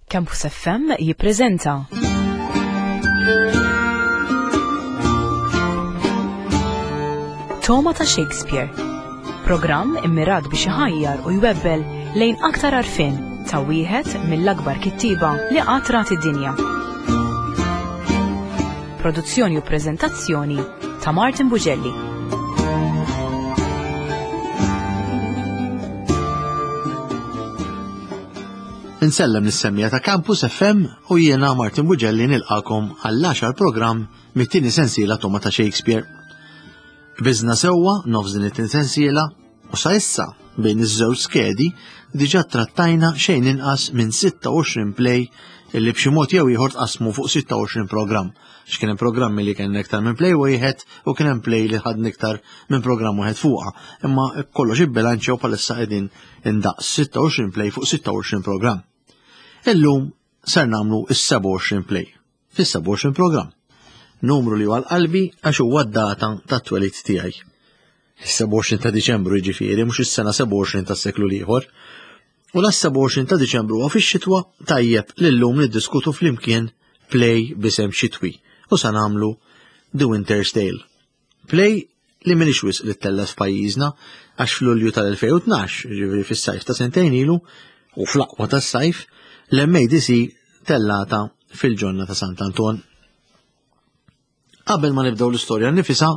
Campus FM jippreżenta. Toma ta' Shakespeare. Programm immirat biex iħajjar u jwebbel lejn aktar għarfien ta' wieħed mill-akbar kittieba li qatt rat id-dinja. Produzzjoni u preżentazzjoni ta' Martin Bugelli. Insellem lis-semmija ta' Campus FM u jiena Martin Bugelli nilqakom għall-10 programm mit-tieni sensiela Toma ta' Shakespeare. Biżna sewwa nofs din it-tieni sensiela u sa issa bejn iż-żewġ skedi diġà trattajna xejn inqas minn 26 play illi b'xi mod jew ieħor tqasmu fuq 26 programm. X'kien hemm programmi li kien iktar minn play wieħed u kien hemm play li ħadna iktar minn programm wieħed fuqha. Imma kollox ibbilanċjaw bħalissa qegħdin indaqs 26 play fuq 26 programm. Illum ser nagħmlu is-27 play fis-27 programm. Numru li huwa qalbi għax huwa d-data tat-twelid tiegħi. Is-27 ta' Diċembru jiġifieri mhux is-sena 27 tas-seklu l-ieħor. U las-27 ta' Diċembru huwa fix-xitwa tajjeb li llum niddiskutu flimkien play b'isem xitwi u sa nagħmlu The Winter's Tale. Play li minix wisq li ttellgħet f'pajjiżna għax f'Lulju tal-2012, ġifieri fis-sajf ta' sentejn ilu, u fl-aqwa tas-sajf, l-MADC tellata fil-ġonna ta' Sant'Anton. Qabel ma nibdew l-istorja nifisa,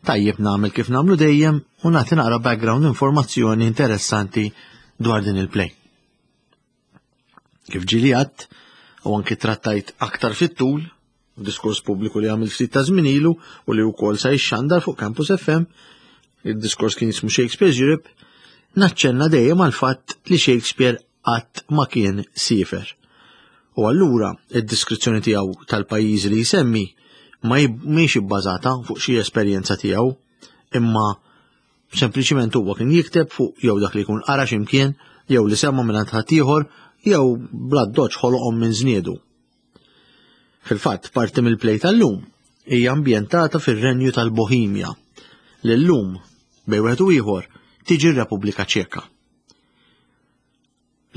tajjeb nagħmel kif nagħmlu dejjem u nagħti naqra background informazzjoni interessanti dwar din il-play. Kif ġili għadt u anki trattajt aktar fit-tul, diskors pubbliku li għamil ftit ta' żmien ilu u li wkoll sa jixxandar fuq Campus FM, il-diskors kien jismu Shakespeare's Europe, naċċenna dejjem għal fatt li Shakespeare qatt ma kien siefer. U allura id-diskrizzjoni tiegħu tal-pajjiżi li jsemmi ma mhix ibbażata fuq xi esperjenza tiegħu, imma Sempliċiment huwa kien jikteb fuq jew dak li jkun qara x'imkien, jew li sema' mingħand ħaddieħor, jew bla doċ ħoloqhom minn żniedu. Fil-fatt, parti mill-play tal-lum hija ambjentata fir-Renju tal-Bohemja, li llum bejn wieħed u ieħor tiġi r-Repubblika Ċeka.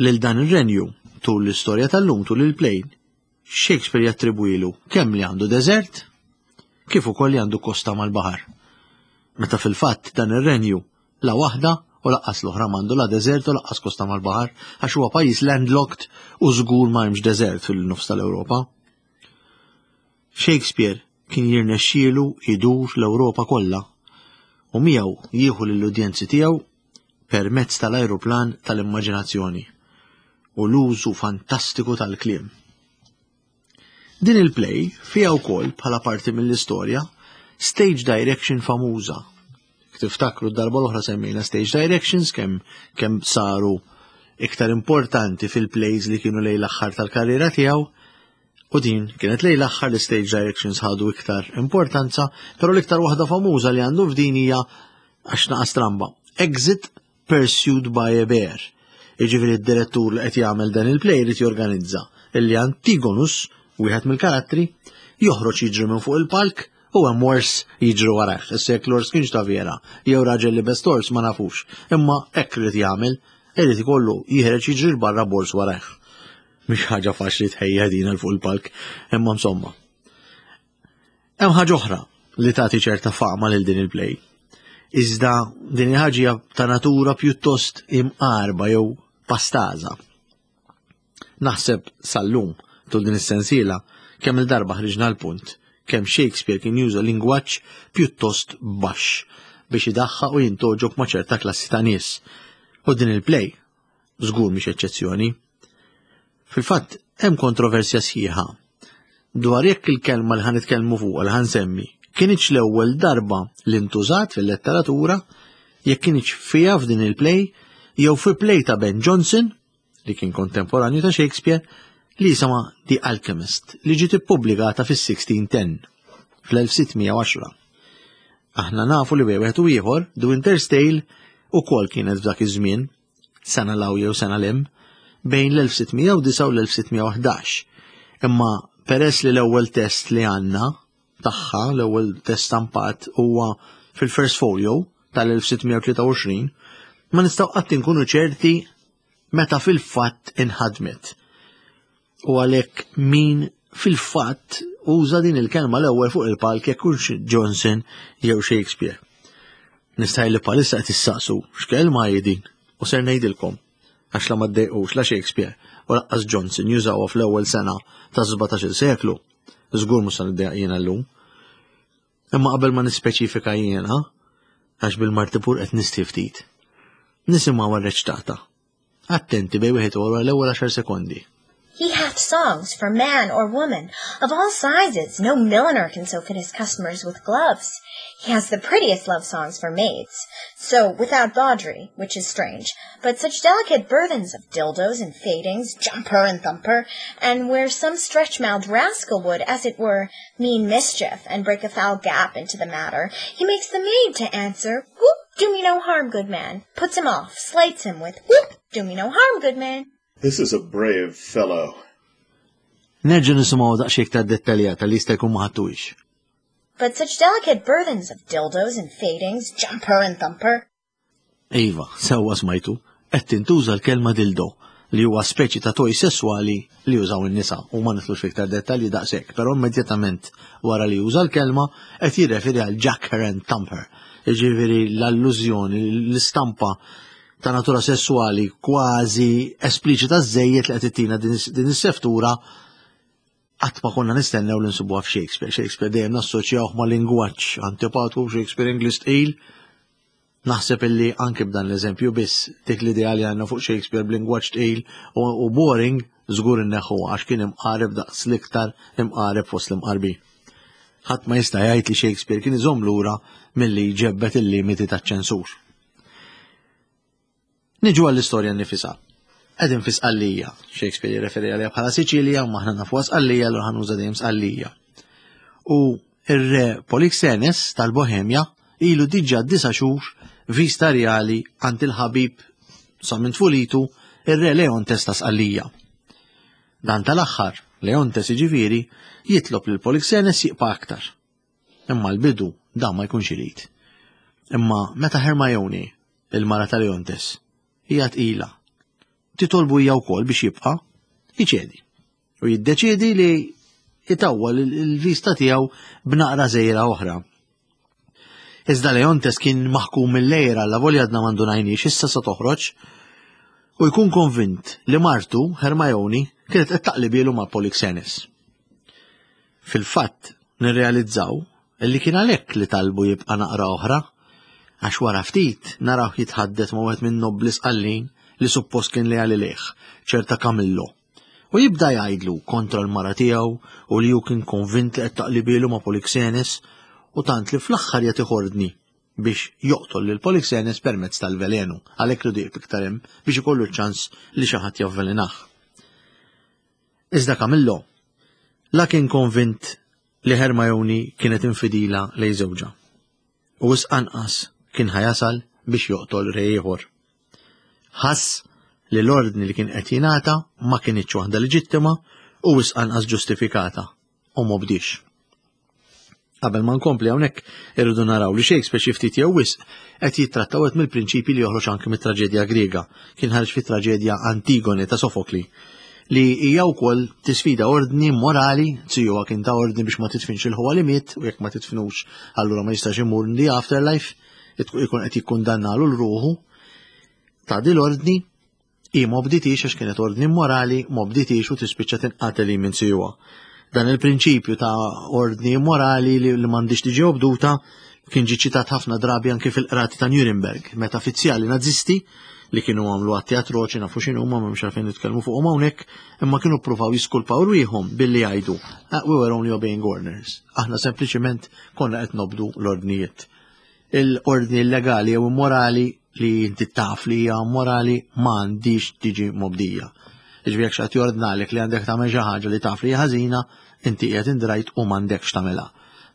Lil dan ir-renju, tul l-istorja tal-lum tul il-play, Shakespeare jattribwilu kemm li għandu deżert, kif ukoll li għandu kosta mal-baħar. Meta fil-fatt dan ir-renju la waħda u laqqas l-oħra m'għandu la deżert u laqqas kosta mal-baħar għax huwa pajjiż landlocked u żgur ma hemmx deżert fil-nofs tal-Ewropa. Shakespeare kien jirnexxielu jdur l-Ewropa kollha u miegħu jieħu lill-udjenzi tiegħu permezz tal-ajruplan tal-immaġinazzjoni u l-użu fantastiku tal-kliem. Din il-play fiha wkoll bħala parti mill-istorja stage direction famuża. Tiftakru d-darba l-oħra semmejna stage directions kemm kemm saru iktar importanti fil-plays li kienu lejn l-aħħar tal-karriera tiegħu u din kienet lejn l-aħħar li stage directions ħadu iktar importanza, però l-iktar waħda famuża li għandu f'din hija għax naqa' stramba. Exit Pursued by a Bear. Jiġifieri d-direttur li qed jagħmel dan il-play irid jorganizza illi Antigonus, wieħed mill-karattri, joħroġ jiġri minn fuq il-palk u hemm ors jiġri warajh. Issa jekk l-ors kienx ta' vera, jew raġel li best ors ma nafux, imma hekk irid jagħmel, irid ikollu jieħreġ jiġri 'l barra b'ors warajh. Mhix ħaġa faċli tħejja din għal fuq il-palk, imma insomma. Hemm ħaġa oħra li tagħti ċerta fama lil din il-play. Iżda din il-ħaġa ta' natura pjuttost imqarba jew pastaża. Naħseb sal-lum tul din is-sensiela kemm il-darba ħriġna l-punt kemm Shakespeare kien juża lingwaġġ pjuttost baxx biex idaħħaq u jintoġob ma' ċerta klassi ta' nies. U din il-play żgur mhix eċċezzjoni. Fil-fatt, hemm kontroversja sħiħa dwar jekk il-kelma li ħanitkellmu fuqha li ħansemmi kienx l-ewwel darba li ntużat fil-letteratura, jekk kienx fiha f'din il-play jew fi play ta' Ben Jonson, li kien kontemporanju ta' Shakespeare, li jisimha The Alchemist, li ġiet ippubblikata fis-1610, fl-1610. Aħna nafu li wieħed u ieħor, The Winter's Tale, ukoll kienet f'dak iż-żmien, sena 'l hawn jew sena 'l hemm, bejn l-1609 u l-1611. Imma peress li l-ewwel test li għandna tagħha, l-ewwel test stampat huwa fil-First Folio tal-1623, ma nistgħu qatt inkunu ċerti meta fil-fatt inħadmet. U għalhekk min fil-fatt uża din il-kelma l-ewwel fuq il-palk jekk hux Johnson jew Shakespeare. Nistaj li palissa qed issaqsu x'kelma hi din u ser ngħidilkom għax la ma ddejqux la Shakespeare u laqqas Johnson jużawha fl-ewwel sena ta' 17-il seklu. Żgur mhux se niddejjaq jiena llum. Imma qabel ma nispeċifika jiena, għax bil-martipur qed nisti ftit, nisimgħu reċtata. Attenti bejn wieħed u l-ewwel 10 sekondi. He hath songs for man or woman, of all sizes. No milliner can so fit his customers with gloves. He has the prettiest love songs for maids. So, without bawdry, which is strange, but such delicate burthens of dildos and fadings, jumper and thumper, and where some stretch-mouthed rascal would, as it were, mean mischief and break a foul gap into the matter, he makes the maid to answer, Whoop, do me no harm, good man, puts him off, slights him with, Whoop, do me no harm, good man. This is a brave fellow. Nerġa' nisimgħu daqsxejn iktar dettaljata li jista' jkun ma ħadtuhiex. But such delicate burthens of dildos and fadings, jumper and thumper. Iva, sewwa smajtu, qed tintuża l-kelma dildo li huwa speċi ta' toj sesswali li jużaw in-nisa u ma nidħlux fiktar dettalji daqshekk, però immedjatament wara li juża l-kelma qed jirreferi għal jacker and thumper. Jiġifieri l-allużjoni, l-istampa ta' natura sessuali kważi espliċita żejjed li qed ittina din is-seftura qatt ma konna nistennew li nsibuha f'Shakespeare. Shakespeare dejjem nassoċjawh ma' lingwaġġ antipatku, Shakespeare Ingliż tqil. Naħseb illi anke b'dan l-eżempju biss dik l-idea li għandna fuq Shakespeare b'lingwaġġ tqil u boring żgur inneħħu għax kien imqareb daqs l-iktar imqareb fost l-imqarbin. Ħadd ma jista' jgħid li Shakespeare kien iżomm lura milli jġebbet il-limiti taċ-ċensur. Niġu għall-istorja nnifisha. Qegħdin fi Sqallija. Shakespeare jirreferi għaliha bħala Siċilja, u aħna nafuha Sqallija, allura ħa nuża dejjem Sqallija. U ir-re Polixenes tal-Bohemja ilu diġà disa' xhur vista rjali għand il-ħabib sa minn tfulitu ir-re Leontes ta' Sqallija. Dan tal-aħħar, Leontes jiġifieri, jitlob lil Polixenes jibqa' aktar. Imma l-bidu dan ma jkunx irid. Imma meta Hermione, il-mara ta' Leontes, hija tqila, titolbu hija wkoll biex jibqa' iċedi u jiddeċiedi li jitawwal il-vista tiegħu b'naqra żejra oħra. Iżda Leontes kien maħkum mill-lejra la volja għadna m'għandu ngħinix issa sa toħroġ u jkun konvint li martu Hermione kienet qed taqlibielu ma' Polixenes. Fil-fatt, nirrealizzaw li kien għalhekk li talbu jibqa' naqra oħra, għax wara ftit narawh jitħaddet ma' wieħed min-nobbli Sqallin li suppost kien leali lejh, ċerta Camillo. U jibda jgħidlu kontra l-mara tiegħu u li hu kien konvint li qed taqlibielu ma' Polixenes u tant li fl-aħħar jagħtih ordni biex joqtol lil Polixenes permezz tal-velenu, għalhekk ridu jqib iktar hemm biex ikollu ċ-ċans li xi ħadd javvelenah. Iżda Camillo la kien konvint li Hermione kienet infidila lejn żewġha. U wisq anqas kien ħa jasal biex joqtol re ieħor. Ħass li l-ordni li kien qed jingħata ma kinitx waħda leġittima u wisq anqas ġustifikata u m'obdiex. Qabel ma nkompli hawnhekk irridu naraw li Shakespeare xi ftit jew wisq qed jittratta wieħed mill-prinċipji li joħroġ anki mit-traġedja Griega. Kien ħareġ fit-traġedja Antigone ta' Sofokli li hija wkoll tisfida ordni morali, zijuha kien ta' ordni biex ma titfinx il-ħuwa li miet u jekk ma titfinux allura ma jistax imur in the afterlife, ikun qed jikkundannalu l-ruħu. Ta' din l-ordni Hi m'obditiex għax kienet ordni immorali, m'obditiex u tispiċċa tinqatel hi minn siwa. Dan il-prinċipju ta' ordni immorali li, li m'għandix tiġi obduta kien ġi ċitat ħafna drabi anke fil-qrati ta' Nuremberg, meta fizzjali nazisti li kienu għamlu atti atroċi nafu x'inhu ma m'hemmx għalfejn nitkellmu fuqhom hawnhekk, imma kienu ppruvaw jiskulpaw rwieħhom billi jgħidu ah, we were only obeying orders. Aħna sempliċiment konna qed nobdu l-ordnijiet. Il-ordni illegali jew immorali li inti taf li hija morali ma għandix tiġi mobdija. Iġbi jekk xi jordnalek li għandek tagħmel xi ħaġa li taf li hija ħażina, inti qiegħed indrajt u m'għandekx tagħmilha.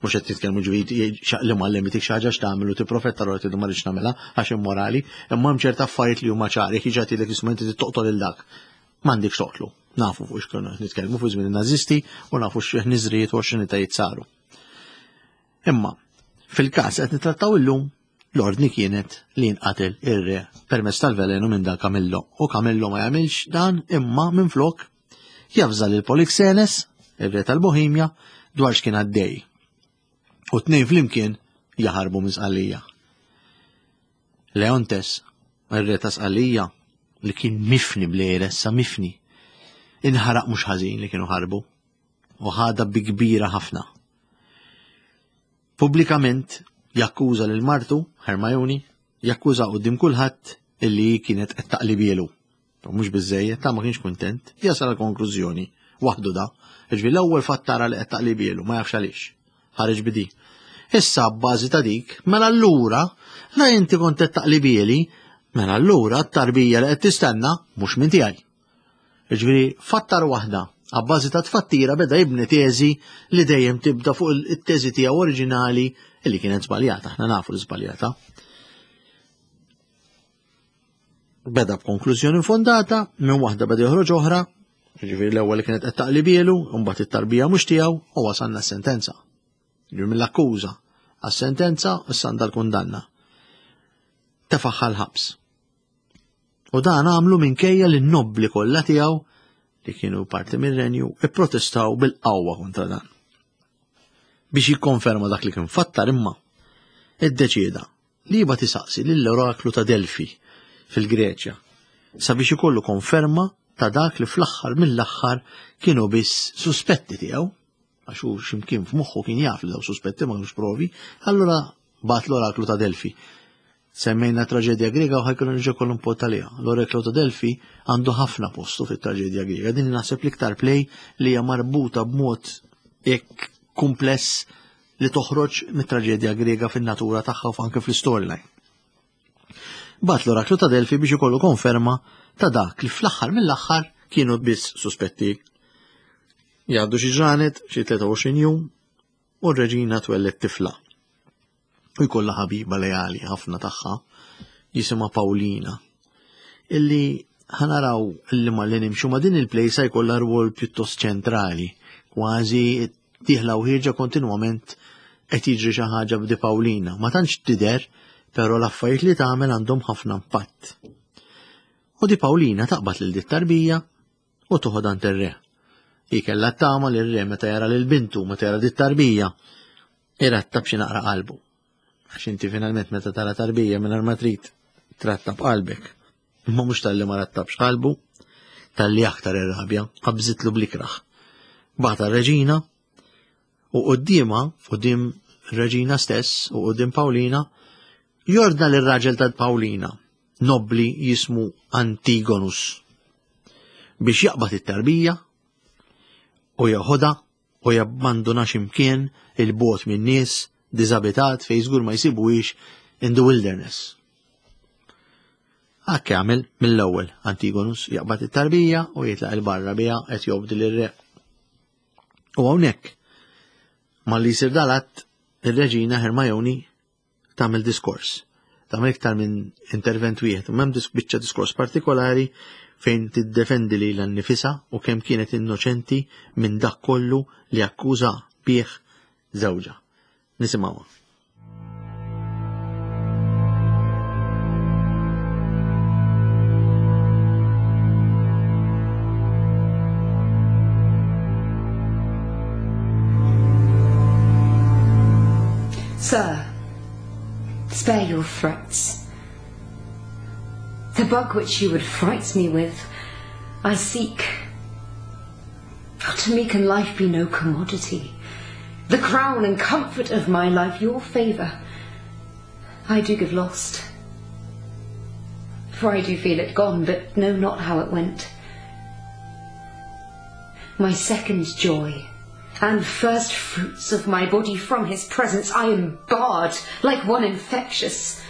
Mhux qed titkellmu ġifieri li mgħallem itik xi ħaġa x'tagħmel u tipprofetta l tgħidu ma rridx nagħmilha għax immorali, imma hemm ċerta affarijiet li huma ċari, jekk jiġi jgħidlek isma' inti toqtol il dak. M'għandekx toqtlu. Nafu fuq x'kienu qed nitkellmu fuq żmien in-Nażisti u nafu x'niżrijiet u x'xinitajiet saru. Imma, fil-każ qed nittrattaw illum, l-ordni kienet li jinqatel ir-re permezz tal-velenu minn dan Kamillo. U Kamillo ma jagħmilx dan imma minflok Javża lil Polixenes, ir-re tal-Bohemja, dwar x'kien għaddej. U tnejn flimkien jaħarbu minn Sqallija. Leontes, ir-re ta' Sqallija, li kien mifni bl-għira issa mifni, inħaraq mhux ħażin li kienu ħarbu u ħadha bi kbira ħafna. Pubblikament jakkuża lil martu, Hermione, jakkuża quddiem kulħadd illi hi kienet qed taqlibielu. Mhux biżejjed, ta' ma kienx kuntent, jasal għal konklużjoni waħdu da. Ġifieri l-ewwel fatt tara li qed taqlibielu, ma jafx għaliex. Ħareġ bidi. Issa b'bażi ta' dik, mela allura la inti kont qed taqlibieli, mela allura t-tarbija li qed tistenna mhux minn tiegħi. Jiġifieri fattar waħda, abbażi ta' tfattira beda jibni teżi li dejjem tibda fuq it-teżi tiegħu oriġinali li kienet żbaljata, aħna nafu li żbaljata. Beda b'konklużjoni fondata, minn waħda beda joħroġ oħra, jiġifieri l-ewwel li kienet qed taqlibielu, mbagħad it-tarbija mhux tiegħu u wasalna s-sentenza. Jiġifieri mill-akkuża għas-sentenza issa għandha l-kundanna. Tefaħħa l-ħabs. U dan għamlu minkejja li n-nobbli kollha tiegħu li kienu parti mir-renju ipprotestaw bil-qawwa kontra dan. Biex jikkonferma dak li kien fattar imma, iddeċieda li jibgħat isaqsi lill-oraklu ta' Delfi fil-Greċja sabiex ikollu konferma ta' dak li fl-aħħar mill-aħħar kienu biss suspetti tiegħu għax hu x'imkien f'moħħu kien jaf li daw suspetti ma kinux provi, allura Bagħat l-oraklu ta' Delfi. Semmejna traġedja Griega u ħajkun nerġa' kollu npot għaliha. L-oraklu ta' Delfi għandu ħafna postu fit-traġedja Griega. Din naħseb l-iktar play li hija marbuta b'mod hekk kumpless li toħroġ mit-traġedja Griega fin-natura tagħha u anke fl-istoryline. Bat l-oraklu ta' Delfi biex ikollu konferma ta' dak li fl-aħħar mill-aħħar kienu biss suspetti. Jgħaddu xi ġranet, xi 23 jum, u r-reġina twelled tifla. U jkollha ħabiba leali ħafna tagħha jisimha Paulina. Illi ħanaraw illi ma li nimxu ma din il-play sa jkollha rwol pjuttost ċentrali, kważi dieħla u ħierġa kontinwament qed jiġri xi ħaġa b'di Paulina. Ma tantx tidher, però l-affarijiet li tagħmel għandhom ħafna impatt. U di Paulina taqbad lil dit tarbija u toħodha għand ir-re. Hi kellha t-tama li r-re meta jara lil bintu, meta jara dit tarbija, irattab xi naqra qalbu. Għax inti finalment meta tara tarbija mingħajr ma trid trattab qalbek. Imma mhux talli ma rattabx qalbu, talli aktar irrabja, qabżitlu blikraħ. Bata reġina u quddiemha, quddiem reġina stess u quddiem Pawlina, jordna lir-raġel ta' Pawlina, nobbli jismu Antigonus, biex jaqbad it-tarbija u jeħodha u jabbanduna x'imkien il-bogħod min-nies diżabitat fejn żgur ma jsibuhiex in the wilderness. Hekk jagħmel mill-ewwel Antigonus jaqbad it-tarbija u jitlaq il-barra biha qed jobdi lir-re. U hawnhekk malli jsir dal-att ir-reġina Hermione tagħmel diskors. Tagħmel iktar minn intervent wieħed, imma hemm biċċa diskors partikolari fejn tiddefendi lilha nnifisha u kemm kienet innoċenti minn dak kollu li akkuża bih żewġha. Nisimgħuha. Sir, spare your threats. The bug which you would fright me with, I seek. To me can life be no commodity. The crown and comfort of my life, your favour, I do give lost. For I do feel it gone, but know not how it went. My second joy, and first fruits of my body from his presence, I am barred, like one infectious.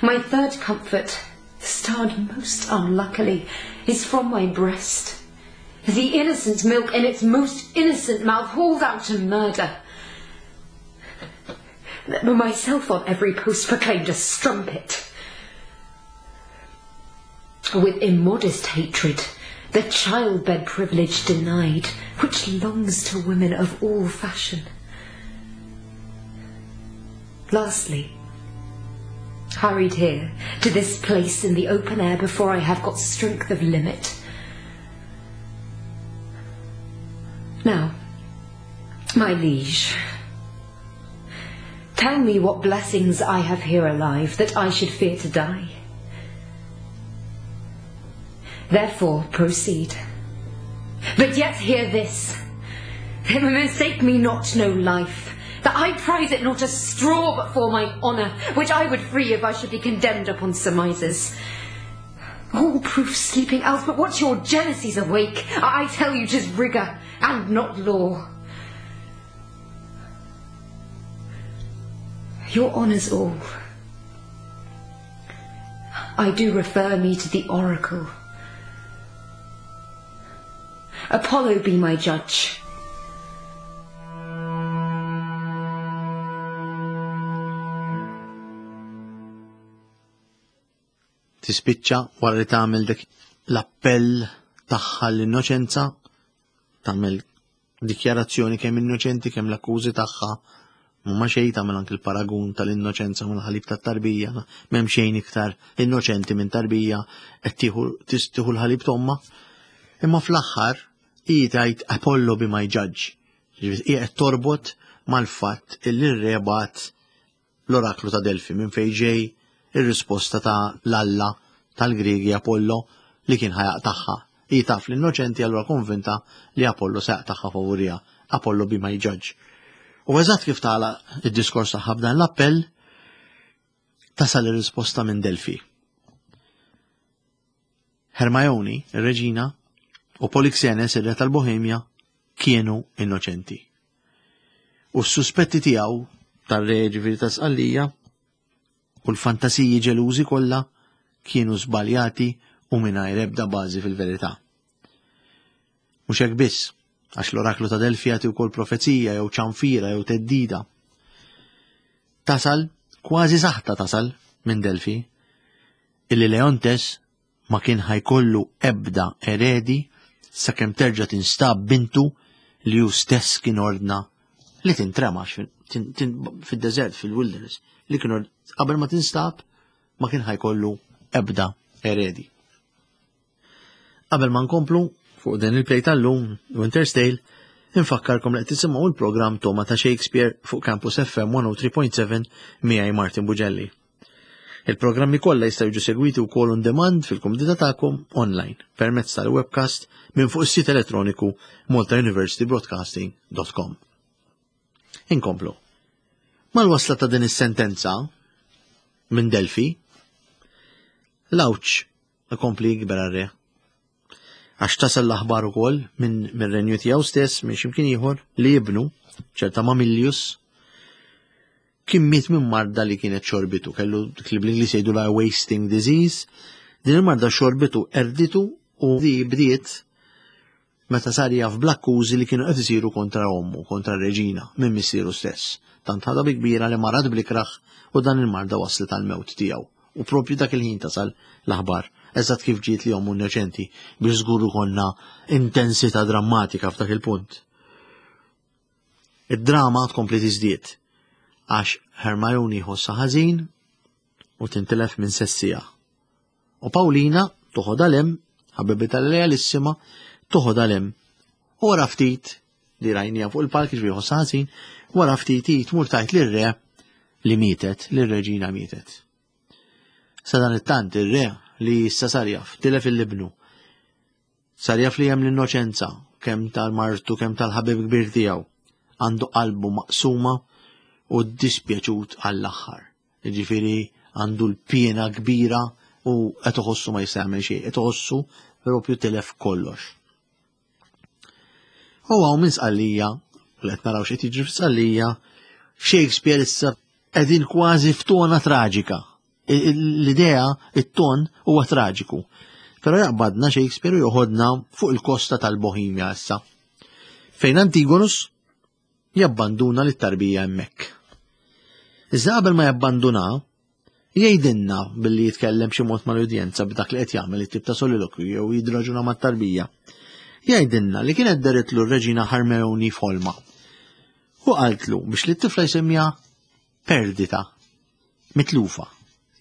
My third comfort, starred most unluckily, is from my breast. The innocent milk in its most innocent mouth hauled out to murder. Myself on every post proclaimed a strumpet. With immodest hatred, the childbed privilege denied, which longs to women of all fashion. Lastly, hurried here to this place in the open air before I have got strength of limit. Now, my liege, tell me what blessings I have here alive that I should fear to die. Therefore proceed. But yet hear this, mistake me not no life, that I prize it not a straw but for my honour, which I would free if I should be condemned upon surmises. All proof sleeping else, but what's your jealousies awake? I tell you 'tis rigour and not law. Your honours all. I do refer me to the oracle. Apollo be my judge. Tispiċċa wara li tagħmel dik l-appell tagħha l-innoċenza, tagħmel dikjarazzjoni kemm innoċenti kemm l-akkużi tagħha ma xejn tagħmel anke l-paragun tal-innoċenza mal-ħalib tat-tarbija, m'hemm xejn iktar innoċenti minn tarbija qed tieħu l-ħalib tomma. Imma fl-aħħar hi tgħid Apollo be my judge. Hi qed torbot mal-fatt illi r-re bagħat l-oraklu ta' Delfi minn fejn ġej ir-risposta ta' l-alla tal-Griegi Apollo li kien ħa jaqtagħha. Hi taf li innoċenti allura konvinta li Apollo se jaqtagħha favuriha. Apollo be my judge. U eżatt kif tagħlaq id-diskors tagħha b'dan l-appell, tasal ir-risposta minn Delfi. Hermione, ir-reġina, u Polixenes, ir-re tal-Bohemja, kienu innoċenti. U s-suspetti tiegħu tar-re ġifieri ta' Sqallija u l-fantasiji ġelużi kollha kienu żbaljati u mingħajr ebda bażi fil-verità. Mhux hekk biss, għax l-oraklu ta' Delfi jagħti wkoll profezija jew ċanfira jew teddida. Tasal, kważi saħta tasal minn Delfi, illi Leontes ma kien ħa jkollu ebda eredi sakemm terġa' tinstab bintu li hu stess kien ordna li tintrema fid-deżert fil-wilderness li kien qabel ma tinstab ma kien ħajkollu ebda eredi. Qabel ma nkomplu fuq din il-play tal-lum, Winter's Tale, infakkarkom li qed tisimgħu l-programm Toma ta' Shakespeare fuq Campus FM 103.7 miegħi Martin Bugelli. Il-programmi kollha jistgħu jiġu segwiti wkoll on demand fil-kumdità tagħkom online permezz tal-webcast minn fuq is-sit elettroniku maltauniversitybroadcasting.com. Inkomplu. Mal-wasla ta' din is-sentenza minn Delfi, l-għawġ ikompli jikber għar-re. Għax tasal l-aħbar ukoll minn mir-renju tiegħu stess minn x'imkien ieħor li ibnu, ċerta Mamillius, kien miet minn marda li kienet xorbitu, kellu dik li bl-Ingliż jgħidu la wasting disease, din il-marda xorbitu erditu u di bdiet meta sar jaf bl-akkużi li kienu qed isiru kontra ommu, kontra r-reġina, minn missieru stess. Tant ħadha bi kbira li marad bl-ikrah u dan il-marda waslet għall-mewt tiegħu. U propju dak il-ħin tasal l-aħbar, eżatt kif ġiet li ommu innoċenti, biex żgur ikollna intensità drammatika f'dak il-punt. Id-drama tkompli tiżdied għax Hermione jħossha ħażin u tintilef minn sessija. U Paulina toħodha lem, ħabibitha lealissima, toħodha lem. U wara ftit li rajnija fuq il-palk ġbi jħossha ħażin, wara ftit hi tmur tgħid lir-re li mietet, li r-reġina mietet. Sadanittant ir-re li issa sar jaf, tilef il-libnu. Sar jaf li hemm l-innoċenza, kemm tal-martu kemm tal-ħabib kbir tiegħu. Għandu qalbu maqsuma u ddispjaċut għall-aħħar. Jiġifieri għandu l-piena kbira u qed iħossu ma jista' jagħmel xejn, qed iħossu propju tilef kollox. U hawn minn Sqallija, u qed naraw x'qed jiġri f'Sqallija, Shakespeare issa qegħdin kważi f'tona traġika. L-idea, it-ton huwa traġiku. Però jaqbadna Shakespeare u joħodna fuq il-kosta tal-Bohemia issa. Fejn Antigonus jabbanduna lit-tarbija hemmhekk. Iżda qabel ma jabbanduna, jgħidilna billi jitkellem xi mod mal-udjenza b'dak li qed jagħmel it-tip ta' solilokju jew jidraġuna mat-tarbija. Jgħidilna li kienet deritlu r-reġina Hermione f'ħolma. U qaltlu biex li t-tifla jsemmiha perdita, mitlufa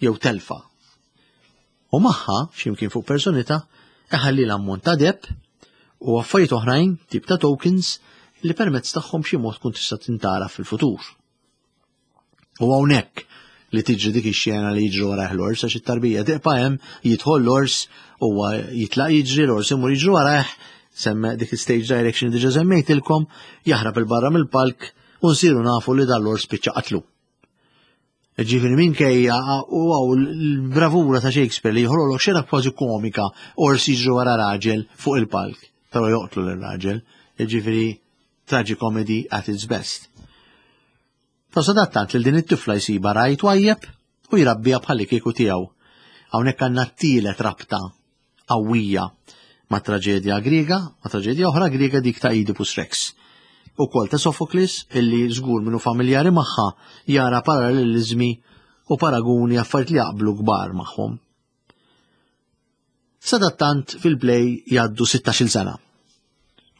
jew telfa. U magħha, x'imkien fuq personità, iħalli l-ammont ta' deb. U affarijiet oħrajn, tip ta' tokens, li permezz tagħhom xi mod tkun tista' tintara fil-futur. U hawnhekk li tiġri dik ix-xena li jiġri warajh l-ors għax it-tarbija tiqpa' hemm, jidħol l-ors huwa jitlaq jiġri l-ors imur jiġri warajh, semme dik il-stage direction diġa semmejtilkom, jaħrab il-barra mill-palk u nsiru nafu li dan l-ors spiċċa qatlu. Ġifieri minkejja u għaw l-bravura ta' Shakespeare li jħololok xena kważi komika ors jiġri wara raġel fuq il-palk, però joqtlu l-raġel, ġifieri tragicomedy at its best. Ta' sadattant lil din it-tifla jsibha ragħaj twajjeb u jrabbiha bħallikieku tiegħu. Hawnhekk għandna t-tielet rabta qawwija ma' traġedja Griega, ma' traġedja oħra Griega dik ta' Oedipus Rex. Ukoll ta' Sophocles illi żgur minnu familjari magħha jara parallelizmi u paraguni affarijiet li jaqblu kbar magħhom. Sadattant fil-play jgħaddu 16-il sena.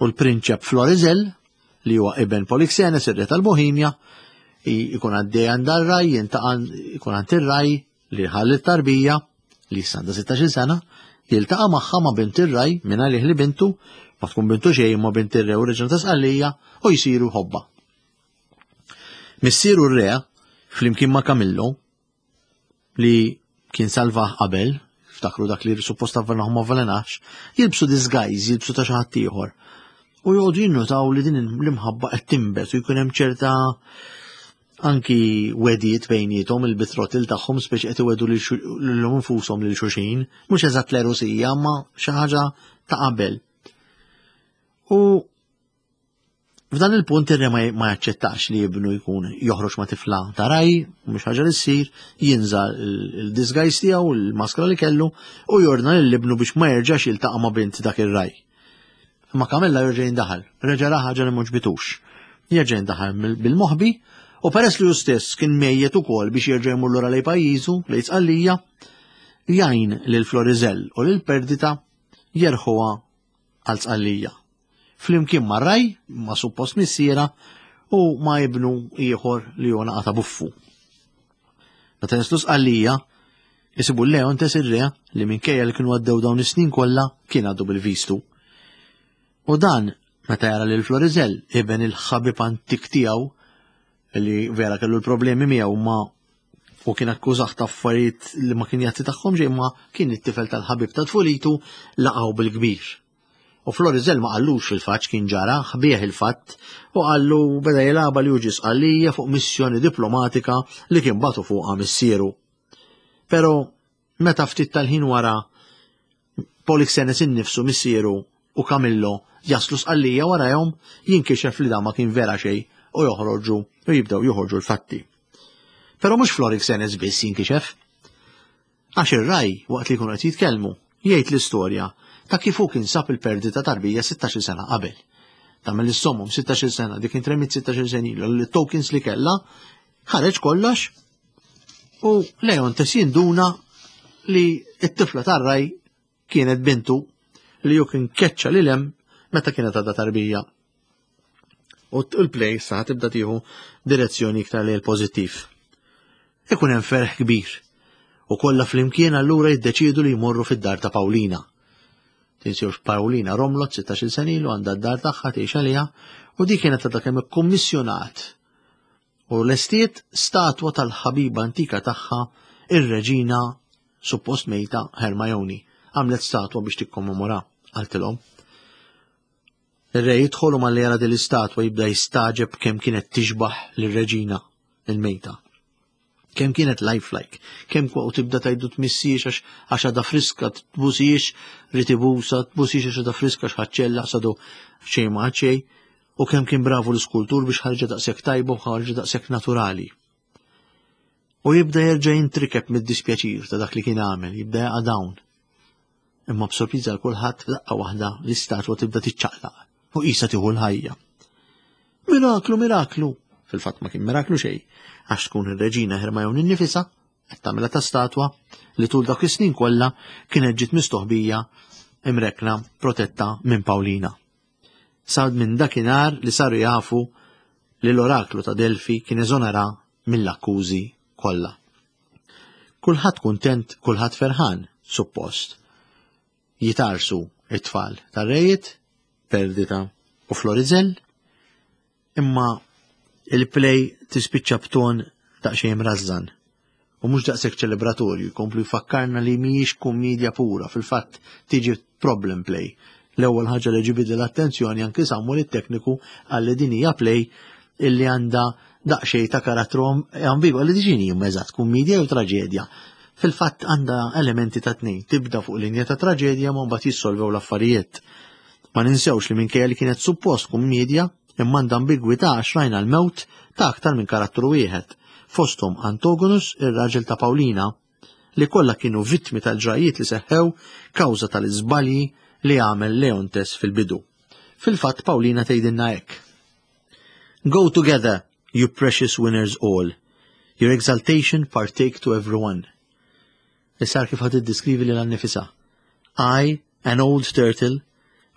U l-prinċep Florizel, li huwa iben Polixenes, ir-re tal-Bohemja, ikun għaddej għand raj, ikun għand ir-raj li ħalli t-tarbija, li issa għandha 16 sena, jiltaqa' magħha ma' bint ir-raj minn għalih li bintu, ma tkun bintu xejn ma' bint ir-re u reġna ta' Sqallija u jsiru ħobba. Missieru r-re, flimkien ma' Kamillo, li kien salvah qabel, ftakru dak li suppost avvenaħ ma avvelenax, jilbsu disguise, jilbsu ta' xi ħadd ieħor. U joqogħdu jinnotaw li din l-imħabba qed tinbet u jkun hemm ċerta anki wedijiet bejniethom il-bitrotil tagħhom speċi qed iwedu lilhom infushom lil xulxin, mhux eżatt l-erosija, ma xi ħaġa ta' qabel. U F'dan il-punt ir-re ma jaċċettax li ibnu jkun joħroġ ma' tifla ta' raj, mhux ħaġa li ssir, jinża l-disguise tiegħu, il-maskra li kellu, u jordna lil ibnu biex ma jerġax jiltaqa' ma' bint dak ir-raj. Imma Kamilla jerġa' jindaħal, reġa' ra ħaġa li m'għoġbitux. Jerġa' jindaħal bil-moħbi u peress li hu stess kien mejjet ukoll biex jerġa' jmur lura lejn pajjiżu, lejn Sqallija, jgħin lil Florizel u lil Perdita jerħuha għal Sqallija. Flimkien ma' raj, ma' suppost missiera, u ma' ibnu ieħor li hu naqata buffu. Meta jaslu Sqallija, isibu Leontes ir-re li minkejja li kienu għaddew dawn is-snin kollha kien għaddu bil-vistu. U dan meta jara lil Florizel, iben il-ħabib antik tiegħu li vera kellu l-problemi miegħu ma u kien akkużah ta' affarijiet li ma kien jagħti tagħhom xejn ma kien it-tifel tal-ħabib ta' tfulitu laqgħu bil-kbir. U Florizel ma qallux fil-fatt kien ġara, ħbieħ il-fatt u qallu beda jilgħabha li hu ġie Sqallija fuq missjoni diplomatika li kien batu fuqha missieru. Però meta ftit tal-ħin wara Polixenes innifsu missieru u Camillo jaslu Sqallija warajhom jinkixef li dan ma kien vera xejn u joħroġu u jibdew joħorġu l-fatti. Però mhux Florixenes biss jinkixef. Għax ir-ragħaj, waqt li jkunu qed jitkellmu, jgħid l-istorja ta' kif hu kien sab il-perdi ta' tarbija sittax-il sena qabel. Tagħmel is-sommum sittax-il sena, dik intremiet sittax-il sena ilu, l-tokens li kellha, ħareġ kollox u Leontes jinduna li t-tifla tar-ragħaj kienet bintu li hu kien keċċa lil hemm meta kienet għadha tarbija. U l-play sa tibda tieħu direzzjoni iktar lejn pożittiv. Ikun hemm ferħ kbir u kollha flimkien allura jiddeċiedu li jmorru fid-dar ta' Pawlina. Tinsewx Pawlina romlot 16-il sena ilu għandha d-dar tagħha tgħix għaliha u di kienet għadha kemm ikkummissjonat u lestiet statwa tal-ħabiba antika tagħha ir-reġina suppost mejta Hermione. Għamlet statwa biex tikkommemora, qaltilhom. Ir-re jidħol u malli jara din l-istatwa jibda jistaġeb kemm kienet tixbaħ lir-reġina il-mejta. Kemm kienet lifelike, kemm u tibda tajdu tmissiex għax għax għadha friska, tbusiex, rid ibusa, tbusiex għax għadha friska x'ħaċċella sadu xejn ma xejn, u kemm kien bravu l-iskultur biex ħarġa daqshekk tajba u ħarġa daqshekk naturali. U jibda jerġa' jintrikeb mid-dispjaċir ta' dak li kien għamel, jibda jaqa' dawn. Imma b'sorpriża għal kulħadd f'daqqa waħda l-istatwa tibda tiċċaqlaq u qisha tieħu l-ħajja. Miraklu, miraklu! Fil-fatt ma kien miraklu xejn, għax tkun ir-reġina Hermione innifisha qed tagħmilha ta' statwa li tul dak is-snin kollha kienet ġiet mistoħbija imrekna protetta minn Pawlina. Sa minn dakinhar li saru jafu li l-oraklu ta' Delfi kien eżonera mill-akkużi kollha. Kulħadd kuntent, kulħadd ferħan, suppost. Jitarsu it-tfal tar-rejiet. Perdita u Florizel, imma il-play tispiċċa b'ton daqsxejn mrażżan u mhux daqshekk ċelebratorju, jkomplu jfakkarna li mhijiex kummedja pura, fil-fatt tiġi problem play. L-ewwel ħaġa li ġibidli l-attenzjoni anki Samuel it-tekniku qal li din hija play illi għandha daqsxejn ta' karattru ambigwu, li diġini huma eżatt kummedja jew traġedja. Fil-fatt għandha elementi ta' tnejn, tibda fuq linja ta' traġedja ma mbagħad jissolvew l-affarijiet. Ma ninsewx li minkejja li kienet suppost kummedja, imma għandha ambigwità għax rajna l-mewt ta' aktar minn karattru wieħed, fosthom Antogonus, ir-raġel ta' Pawlina, li kollha kienu vittmi tal-ġrajjiet li seħħew kawża tal-iżbalji li għamel Leontes fil-bidu. Fil-fatt Pawlina tgħidilna hekk. Go together, you precious winners all. Your exaltation partake to everyone. Issa kif ħad tiddiskrivi lilha nnifisha. I, an old turtle,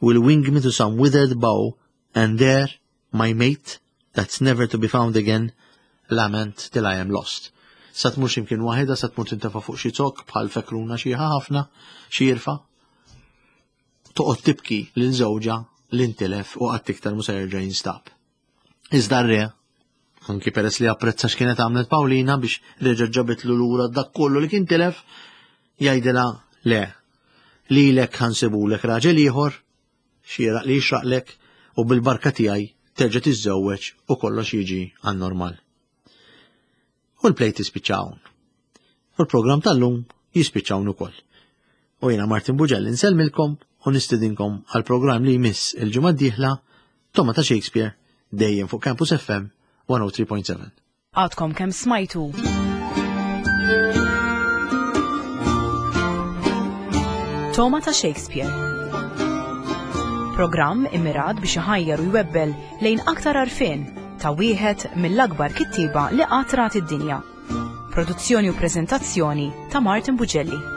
will wing me to some withered bough and there, my mate, that's never to be found again, lament till I am lost. Sa tmur x'imkien waħedha, sa tmur tintefa' fuq xi zokk bħal fekruna xieħa ħafna, xi jirfa. Toqgħod tibki lil żewġha li ntilef u qatt iktar mhu se jerġa' jinstab. Iżda r-re, anki peress li apprezza x'kienet għamlet Pawlina biex reġa' ġabitlu lura dak kollu li kien tilef, jgħidilha le, lilek ħansibulek raġel ieħor, xieraq li jixraqlek u bil-barka tiegħi terġa' tiżżewweġ u kollox jiġi għan-normal. U l-play tispiċċa hawn. U l-programm tal-lum jispiċċa hawn ukoll. U jiena Martin Buġelli nsellmilkom u nistidinkom għal programm li jmiss il-ġimgħa d-dieħla Toma ta' Shakespeare dejjem fuq Campus FM 103.7. Għadkom kemm smajtu. Toma ta' Shakespeare. Programm immirat biex iħajjar u jwebbel lejn aktar għarfien ta' wieħed mill-akbar kittieba li qatt rat id-dinja. Produzzjoni u preżentazzjoni ta' Martin Bugelli.